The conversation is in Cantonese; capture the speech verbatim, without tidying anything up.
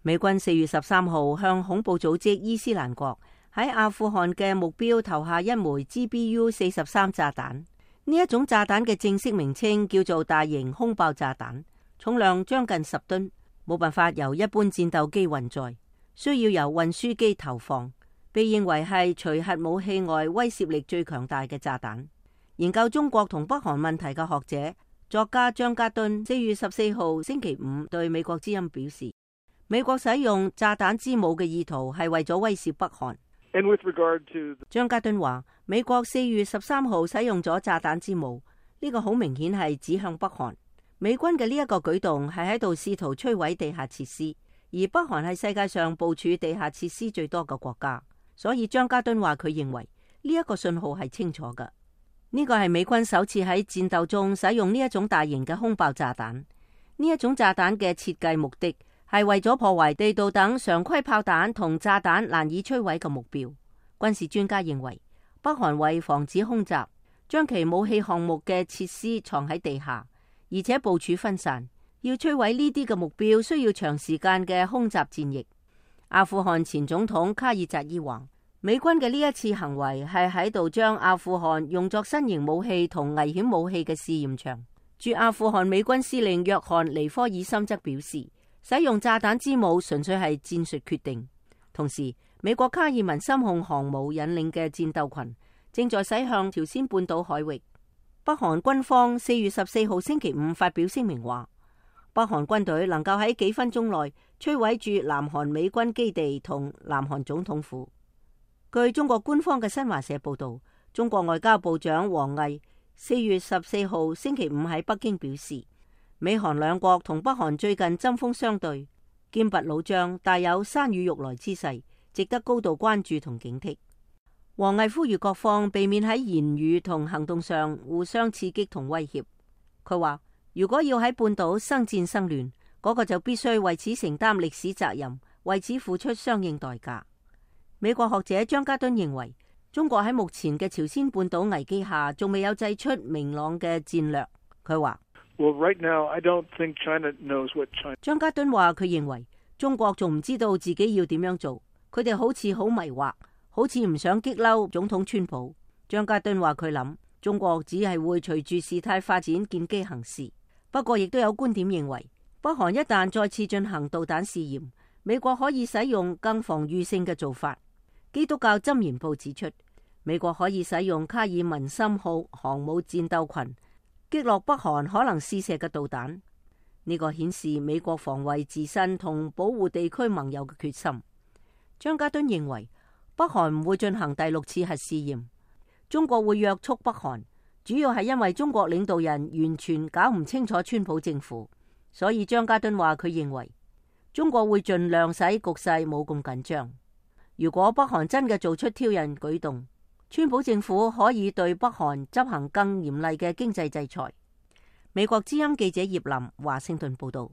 美軍四月十三號向恐怖組織伊斯蘭國喺阿富汗嘅目標投下一枚 G B U 四十三炸彈。呢一種炸彈嘅正式名稱叫做大型空爆炸彈，重量將近十噸，冇辦法由一般戰鬥機運載，需要由運輸機投放，被認為係除核武器外威懾力最強大嘅炸彈。研究中國同北韓問題嘅學者作家張家敦四月十四號星期五對美國之音表示，美國使用炸彈之母嘅意圖係為咗威懾北韓。And with regard to... 張家敦話，美國四月十三號使用咗炸彈之母，呢個好明顯係指向北韓。美軍嘅呢一個舉動係喺度試圖摧毀地下設施，而北韓係世界上部署地下設施最多嘅國家，所以張家敦話佢認為呢一個信號係清楚嘅。呢個係美軍首次喺戰鬥中使用呢一種大型嘅空爆炸彈。呢一種炸彈嘅設計目的係為咗破壞地道等常規炮彈同炸彈難以摧毀嘅目標。軍事專家認為，北韓為防止空襲，將其武器項目嘅設施藏喺地下，而且部署分散，要摧毀呢啲嘅目標需要長時間嘅空襲戰役。阿富汗前總統卡爾扎伊話，美軍嘅呢一次行為係喺度將阿富汗用作新型武器同危險武器嘅試驗場。駐阿富汗美軍司令約翰尼科爾森則表示，使用炸彈之母純粹係戰術決定。同時，美國卡爾文森控航母引領嘅戰鬥群正在駛向朝鮮半島海域。北韓軍方四月十四號星期五發表聲明話，北韓軍隊能夠喺幾分鐘內摧毀駐南韓美軍基地同南韓總統府。據中國官方嘅新華社報道，中國外交部長王毅四月十四號星期五喺北京表示，美韓兩國同北韓最近針鋒相對，劍拔弩張，大有山雨欲來之勢，值得高度關注同警惕。王毅呼籲各方避免喺言語同行動上互相刺激同威脅。佢話，如果要喺半島生戰生亂，嗰個就必須為此承擔歷史責任，為此付出相應代價。美國學者張家敦認為，中國喺目前嘅朝鮮半島危機下，仲未有祭出明朗嘅戰略。佢話Well, right now, I don't think China knows what China... 張家敦話佢認為中國仲唔知道自己要點樣做，佢哋好似好迷惑，好似唔想激嬲總統川普。張家敦話佢諗中國只係會隨住事態發展見機行事。不過亦都有觀點認為，北韓一旦再次進行導彈試驗，美國可以使用更防禦性嘅做法。基督教箴言報指出，美國可以使用卡爾文森號航母戰鬥群擊落北韓可能試射嘅導彈。呢個顯示美國防衛自身同保護地區盟友嘅決心。張家敦認為，北韓唔會進行第六次核試驗，中國會約束北韓，主要係因為中國領導人完全搞唔清楚川普政府，所以張家敦話佢認為中國會盡量使局勢冇咁緊張。如果北韓真嘅做出挑釁舉動，川普政府可以對北韓執行更嚴厲嘅經濟制裁。美國之音記者葉林華盛頓報道。